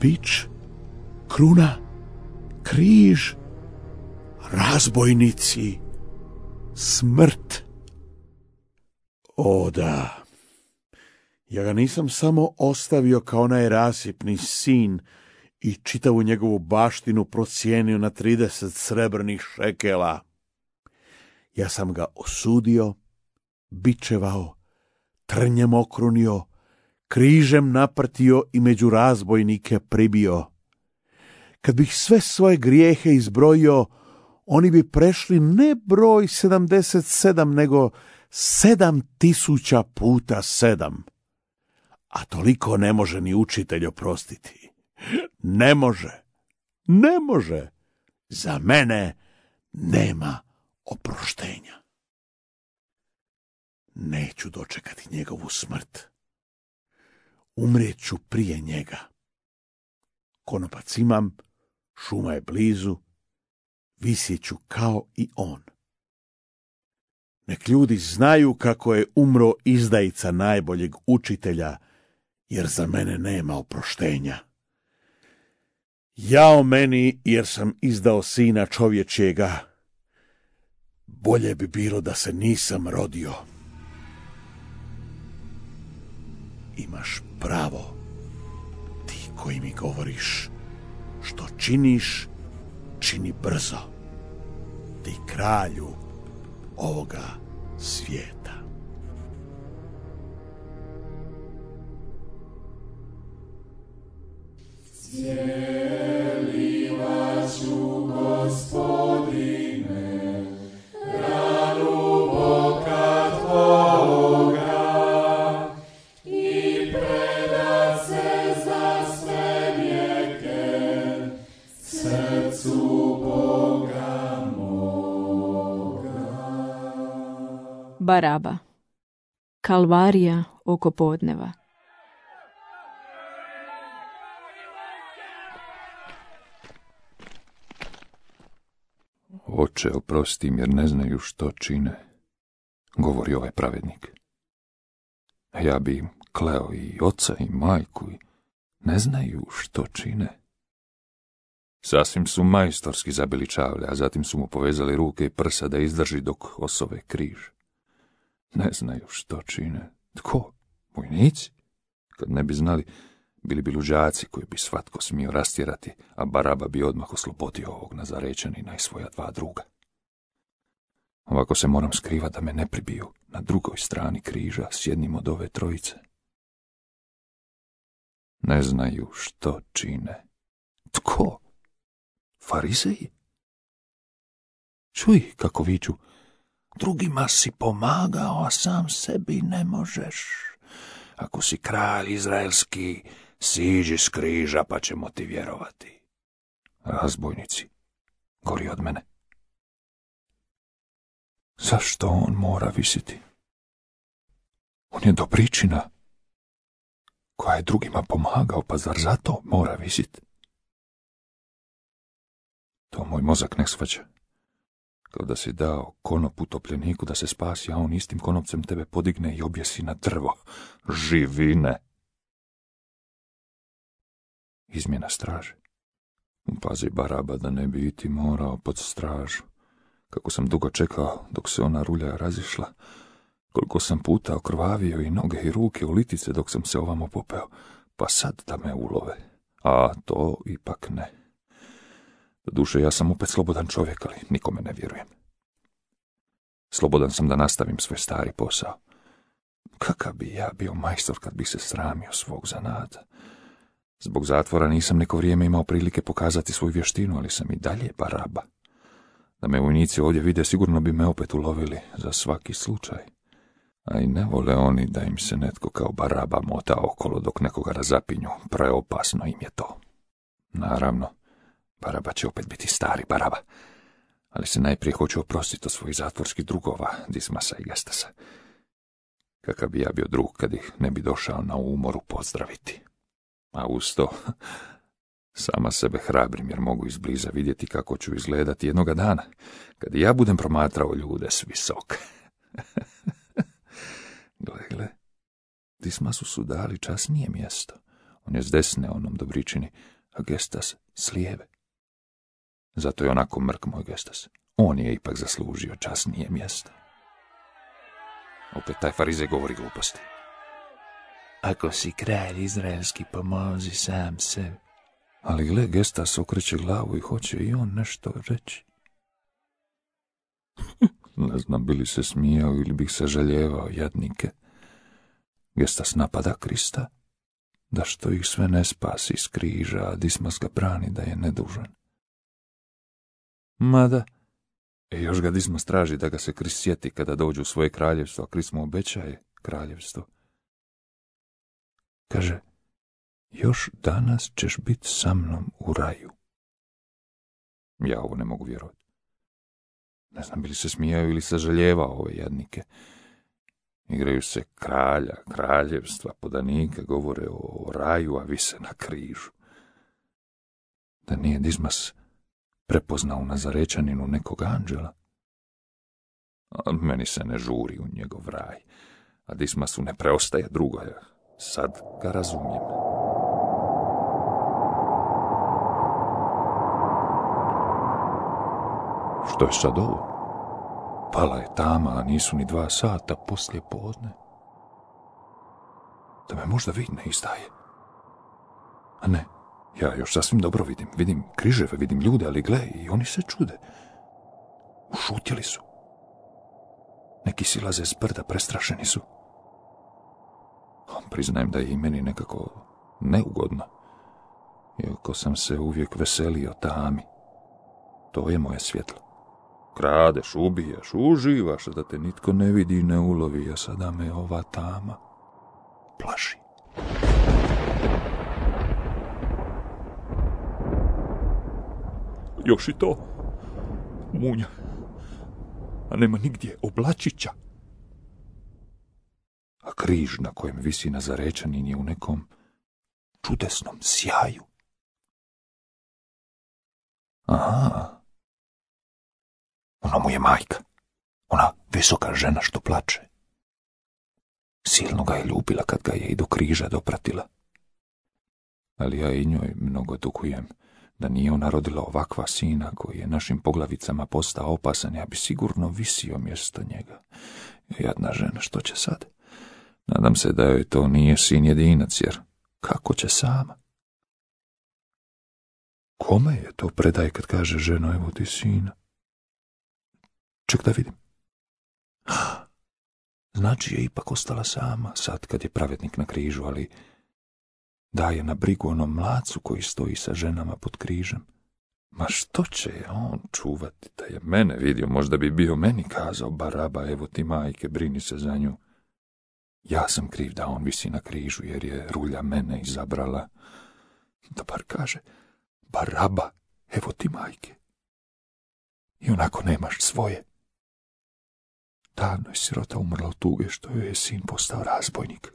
Bič, kruna, križ, razbojnici, smrt. O da, ja ga nisam samo ostavio kao najrasipni sin i čitavu njegovu baštinu procijenio na 30 srebrnih šekela. Ja sam ga osudio, bičevao, trnjem okrunio, križem naprtio i među razbojnike pribio. Kad bih sve svoje grijehe izbrojio, oni bi prešli ne broj 77, nego 7000 puta 7. A toliko ne može ni učitelj oprostiti. Ne može. Za mene nema oproštenja. Neću dočekati njegovu smrt. Umrijeću prije njega. Konopac imam, šuma je blizu, visjeću kao i on. Nek ljudi znaju kako je umro izdajica najboljeg učitelja, jer za mene nema oproštenja. Jao meni, jer sam izdao sina čovječjega. Bolje bi bilo da se nisam rodio. Imaš pravo, ti koji mi govoriš, što činiš, čini brzo, ti kralju ovoga svijeta. Cijelivat ću, Gospodine, ranu boka Tvoga i predat se za sve vijeke srcu Boga moga. Baraba. Kalvarija oko podneva. Oče, oprosti im jer ne znaju što čine, govori ovaj pravednik. A ja bi im kleo i oca i majku i ne znaju što čine. Sasvim su majstorski zabili čavle, a zatim su mu povezali ruke i prsa da izdrži dok osove križ. Ne znaju što čine. Tko? Vojnici? Kad ne bi znali, bili bi luđaci koji bi svatko smio rastjerati, a Baraba bi odmah oslobodio ovog Nazarečanina i svoja 2 druga. Ovako se moram skrivati da me ne pribiju na drugoj strani križa s jednim od ove trojice. Ne znaju što čine. Tko? Farizeji? Čuj kako viču, drugima si pomagao, a sam sebi ne možeš. Ako si kralj izraelski, siđi s križa pa ćemo ti vjerovati. Razbojnici, gori od mene. Zašto on mora visiti? On je dobričina koja je drugima pomagao, pa zar zato mora visiti? To moj mozak ne shvaća. Kao da si dao konop utopljeniku da se spasi, a on istim konopcem tebe podigne i objesi na drvo. Živine! Izmjena straže. Pazi Baraba da ne bi i ti morao pod stražu. Kako sam dugo čekao dok se ona rulja razišla, Koliko sam puta okrvavio i noge i ruke u litice dok sam se ovamo popeo, pa sad da me ulove. A to ipak ne. Doduše, ja sam opet slobodan čovjek, ali nikome ne vjerujem. Slobodan sam da nastavim svoj stari posao. Kakav bi ja bio majstor kad bih se sramio svog zanata. Zbog zatvora nisam neko vrijeme imao prilike pokazati svoju vještinu, ali sam i dalje baraba. Da me vojnici ovdje vide, sigurno bi me opet ulovili za svaki slučaj. A i ne vole oni da im se netko kao baraba mota okolo dok nekoga razapinju. Preopasno im je to. Naravno, baraba će opet biti stari baraba. Ali se najprije hoću oprostiti od svojih zatvorskih drugova, Dismasa i Gestasa. Kakav bi ja bio drug kad ih ne bi došao na umoru pozdraviti. A uz to, sama sebe hrabrim jer mogu izbliza vidjeti kako ću izgledati jednoga dana, kad i ja budem promatrao ljude s visoka. Gle, Dismasu su dali časnije mjesto. On je s desne onom Dobričini, a Gestas s lijeve. Zato je onako mrk moj Gestas. On je ipak zaslužio časnije mjesto. Opet taj farizej govori gluposti. Ako si kralj izraelski, pomozi sam sebi. Ali gle, Gestas okreće glavu i hoće i on nešto reći. Ne znam, bi li se smijao ili bih se žaljevao, jadnike. Gestas napada Krista, da što ih sve ne spasi s križa, a Dismas ga brani da je nedužan. Mada, još ga Dismas traži da ga se Krist sjeti kada dođu u svoje kraljevstvo, a Krist mu obećaje kraljevstvo. Kaže, još danas ćeš biti sa mnom u raju. Ja ovo ne mogu vjerovati. Ne znam, bili se smijao ili se žaljevao ove jadnike. Igraju se kralja, kraljevstva, podanika, govore o raju, a vise na križu. Da nije Dismas prepoznao u Nazarečaninu nekog anđela? A meni se ne žuri u njegov raj, a Dismasu ne preostaje drugo. Sad ga razumijem. Što je sad ovo? Pala je tama, a nisu ni 2 sata poslije podne. Da me možda vid ne izdaje. A ne, ja još sasvim dobro vidim križeve, vidim ljude, ali gle, i oni se čude. Ušutjeli su. Neki silaze s brda, prestrašeni su. Priznajem da je i meni nekako neugodno, iako sam se uvijek veselio tami. To je moje svjetlo. Kradeš, ubijaš, uživaš, da te nitko ne vidi i ne ulovi, a sada me ova tama plaši. Još i to, munja, a nema nigdje oblačića. A križ na kojem visi Nazarečanin je u nekom čudesnom sjaju. Aha, ona mu je majka, ona visoka žena što plače. Silno ga je ljubila kad ga je i do križa dopratila. Ali ja i njoj mnogo dugujem, da nije ona rodila ovakva sina koji je našim poglavicama postao opasan, ja bi sigurno visio mjesto njega. Jadna žena, što će sad? Nadam se da joj to nije sin jedinac, jer kako će sama? Kome je to predaj kad kaže ženo, evo ti sina? Ček da vidim. Znači je ipak ostala sama, sad kad je pravednik na križu, ali daje na brigu onom mlacu koji stoji sa ženama pod križem. Ma što će on čuvati? Da je mene vidio, možda bi bio meni kazao, baraba, evo ti majke, brini se za nju. Ja sam kriv da on visi na križu, jer je rulja mene izabrala. Da bar kaže, baraba, evo ti majke. I onako nemaš svoje. Davno je sirota umrla od tuge što joj je sin postao razbojnik.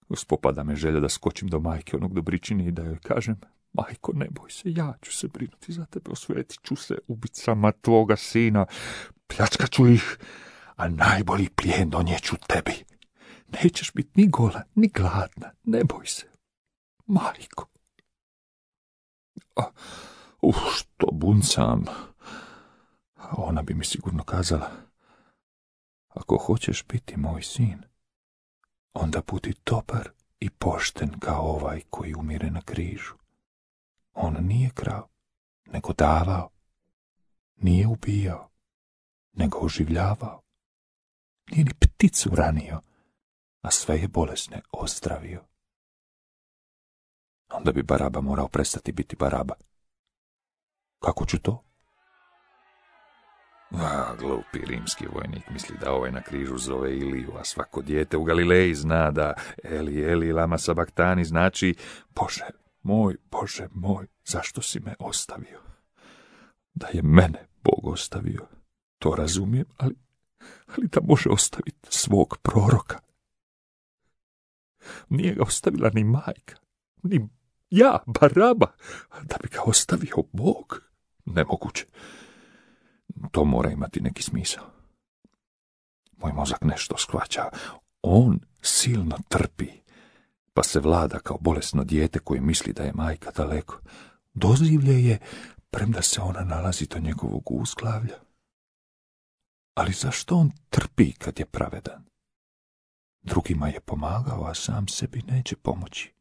Uspopada me želja da skočim do majke onog Dobričine i da joj kažem, majko, ne boj se, ja ću se brinuti za tebe, osvetit ću se ubicama tvoga sina, pljačkat ću ih, a najbolji plijen donijeću tebi. Nećeš biti ni gola, ni gladna, ne boj se, majko. Što buncam. Ona bi mi sigurno kazala, Ako hoćeš biti moj sin, onda budi dobar i pošten kao ovaj koji umire na križu. On nije krao, nego davao. Nije ubijao, nego oživljavao. Nije ni pticu ranio, a sve je bolesne ozdravio. Onda bi Baraba morao prestati biti Baraba. Kako ću to? Glupi rimski vojnik misli da ovaj na križu zove Iliju, a svako dijete u Galileji zna da Eli, Eli, lama sabaktani znači Bože moj, zašto si me ostavio? Da je mene Bog ostavio, to razumijem, ali da može ostaviti svog proroka. Nije ga ostavila ni majka, ni ja, Baraba, da bi ga ostavio Bog. Nemoguće. To mora imati neki smisao. Moj mozak nešto shvaća. On silno trpi, pa se vlada kao bolesno dijete koje misli da je majka daleko. Dozivlje je, premda se ona nalazi do njegovog uzglavlja. Ali zašto on trpi kad je pravedan? Drugima je pomagao, a sam sebi neće pomoći.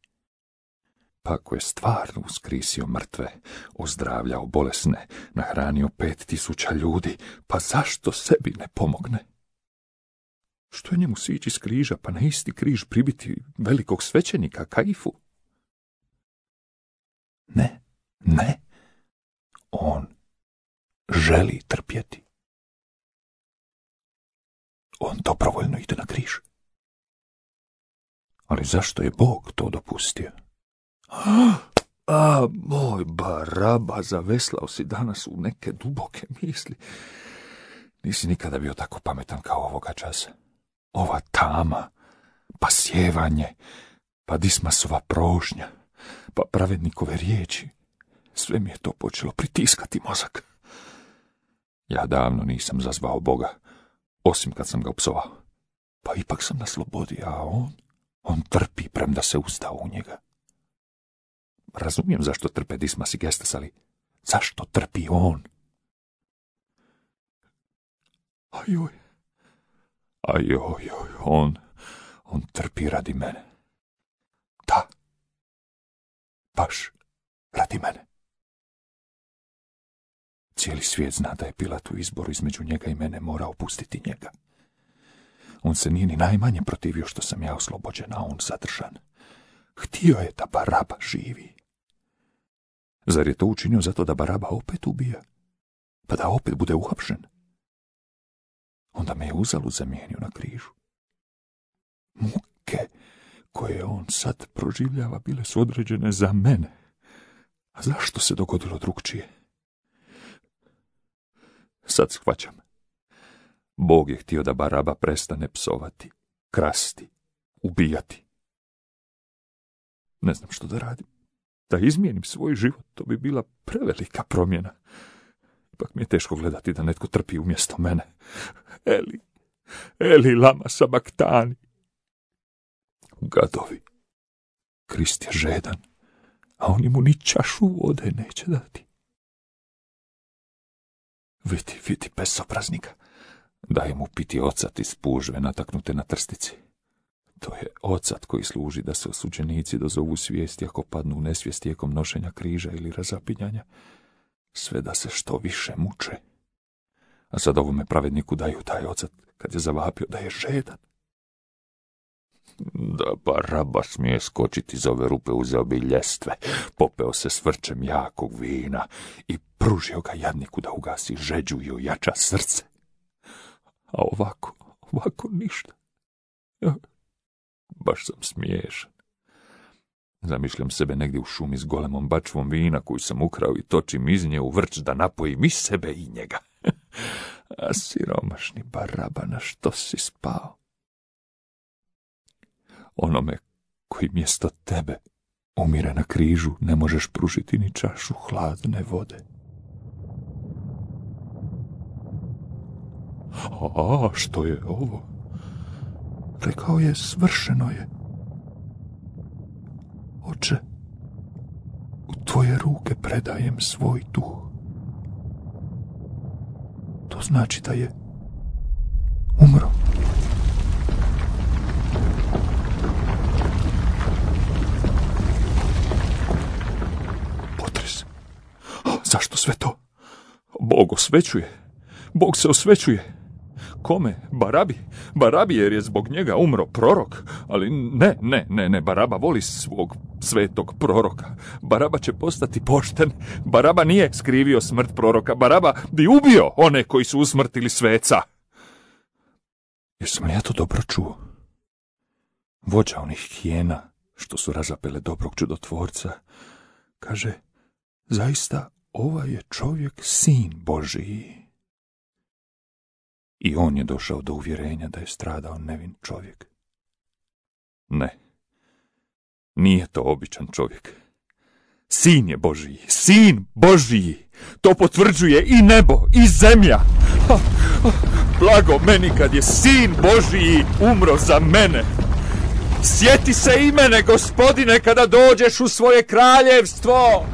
Pa ako je stvarno uskrisio mrtve, ozdravljao bolesne, nahranio 5000 ljudi, pa zašto sebi ne pomogne? Što je njemu sići s križa, pa na isti križ pribiti velikog svećenika Kaifu? Ne. On želi trpjeti. On dobrovoljno ide na križ. Ali zašto je Bog to dopustio? Moj Baraba, zaveslao si danas u neke duboke misli. Nisi nikada bio tako pametan kao ovoga časa. Ova tama, pa sjevanje, pa Dismasova prožnja, pa pravednikove riječi. Sve mi je to počelo pritiskati mozak. Ja davno nisam zazvao Boga, osim kad sam ga upsovao. Pa ipak sam na slobodi, a on trpi premda se ustao u njega. Razumijem zašto trpe Dismas i Gestas, ali zašto trpi on? On trpi radi mene. Da, baš radi mene. Cijeli svijet zna da je Pilat u izboru između njega i mene morao pustiti njega. On se nije ni najmanje protivio što sam ja oslobođen, a on zadržan. Htio je da Baraba živi. Zar je to učinio zato da Baraba opet ubija? Pa da opet bude uhapšen? Onda me je uzalud zamijenio na križu. Muke koje on sad proživljava bile su određene za mene. A zašto se dogodilo drugčije? Sad shvaćam. Bog je htio da Baraba prestane psovati, krasti, ubijati. Ne znam što da radim. Da izmijenim svoj život, to bi bila prevelika promjena. Ipak mi je teško gledati da netko trpi umjesto mene. Eli, lama sabaktani. Gadovi. Krist je žedan, a oni mu ni čašu vode neće dati. Vidi bezobraznika. Daj mu piti ocat iz pužve nataknute na trstici. To je ocat koji služi da se osuđenici dozovu svijesti ako padnu u nesvijest tijekom nošenja križa ili razapinjanja, sve da se što više muče. A sad ovome pravedniku daju taj ocat kad je zavapio da je žedan. Da Baraba smije skočiti iz ove rupe, uzeo bi ljestve, popeo se s vrčem jakog vina i pružio ga jadniku da ugasi žeđu i ojača srce. A ovako ništa. Baš sam smiješan. Zamišljam sebe negdje u šumi s golemom bačvom vina koju sam ukrao i točim iz nje u vrč da napojim i sebe i njega. A siromašni Baraba, na što si spao? Onome koji mjesto tebe umire na križu ne možeš pružiti ni čašu hladne vode. A što je ovo? Rekao je, svršeno je. Oče, u tvoje ruke predajem svoj duh. To znači da je umro. Zašto sve to? Bog osvećuje. Bog se osvećuje. Kome? Barabi jer je zbog njega umro prorok. Ali ne, Baraba voli svog svetog proroka. Baraba će postati pošten. Baraba nije skrivio smrt proroka. Baraba bi ubio one koji su usmrtili sveca. Jesam li ja to dobro čuo? Vođa onih hijena što su razapele dobrog čudotvorca kaže, zaista ovaj je čovjek sin Božiji. I on je došao do uvjerenja da je stradao nevin čovjek. Ne, nije to običan čovjek. Sin je Božiji, sin Božiji. To potvrđuje i nebo, i zemlja. Blago meni kad je sin Božiji umro za mene. Sjeti se i mene, Gospodine, kada dođeš u svoje kraljevstvo.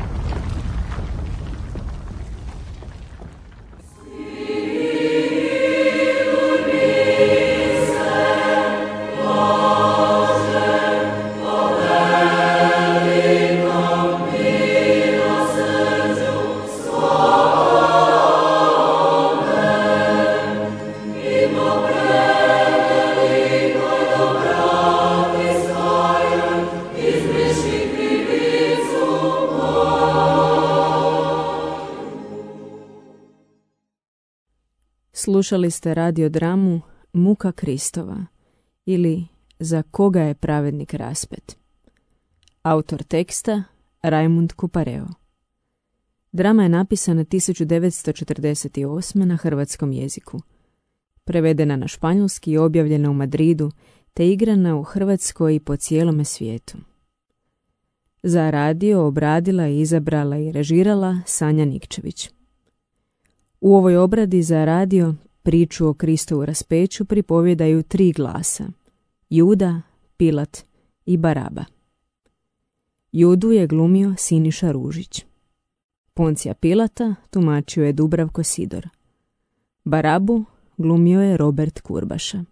Slušali ste radiodramu Muka Kristova ili Za koga je pravednik raspet. Autor teksta Rajmund Kupareo. Drama je napisana 1948. na hrvatskom jeziku. Prevedena na španjolski i objavljena u Madridu, te igrana u Hrvatskoj i po cijelome svijetu. Za radio obradila, izabrala i režirala Sanja Nikčević. U ovoj obradi za radio priču o Kristovu raspeću pripovjedaju 3 glasa: Juda, Pilat i Baraba. Judu je glumio Siniša Ružić. Poncija Pilata tumačio je Dubravko Sidor. Barabu glumio je Robert Kurbaša.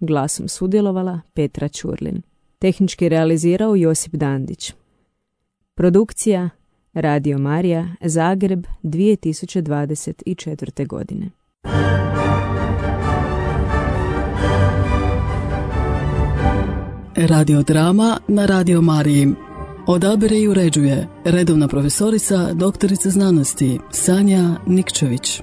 Glasom sudjelovala Petra Ćurlin. Tehnički realizirao Josip Dandić. Produkcija Radio Marija, Zagreb, 2024. godine. Radiodrama na Radio Mariji. Odabire i uređuje redovna profesorica, doktorica znanosti Sanja Nikčević.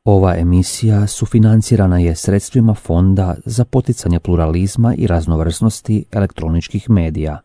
Ova emisija sufinancirana je sredstvima Fonda za poticanje pluralizma i raznovrsnosti elektroničkih medija.